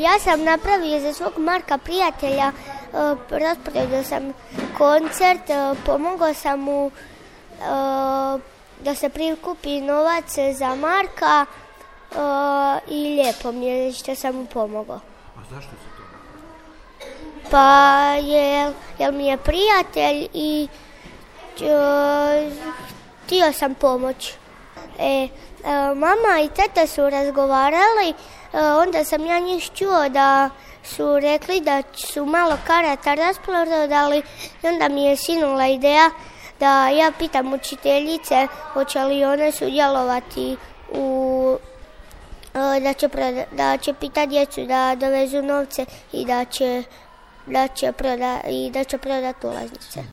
Ja sam napravio za svog Marka prijatelja, rasporedio sam koncert, pomogao sam mu da se prikupi novac za Marka i lijepo mi je što sam mu pomogao. A zašto se to? Pa jer mi je prijatelj i htio sam pomoći. Mama i tata su razgovarali, onda sam ja njih čuo da su rekli da su malo karata rasprodali i onda mi je sinula ideja da ja pitam učiteljice hoće li one sudjelovati da će pitati djecu da dovezu novce i da će prodati ulaznice.